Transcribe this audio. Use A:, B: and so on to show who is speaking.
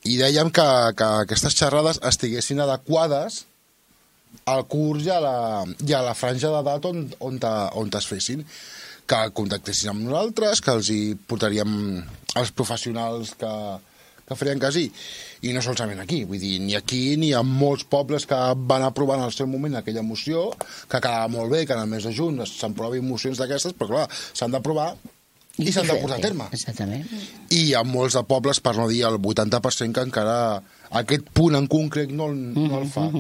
A: i dèiem que aquestes xerrades estiguessin adequades al curs i a la franja d'edat on es fessin, que contactessin amb nosaltres, que els hi portaríem els professionals que farien cas i no solament aquí, vull dir, ni aquí ni en molts pobles que van aprovar en el seu moment aquella moció, que quedava molt bé que en el mes de juny s'aprovin mocions d'aquestes, però clar, s'han d'aprovar i s'han de posar a terme.
B: Exactament.
A: I hi ha molts de pobles, per no dir el 80%, que encara aquest punt en concret no el fa.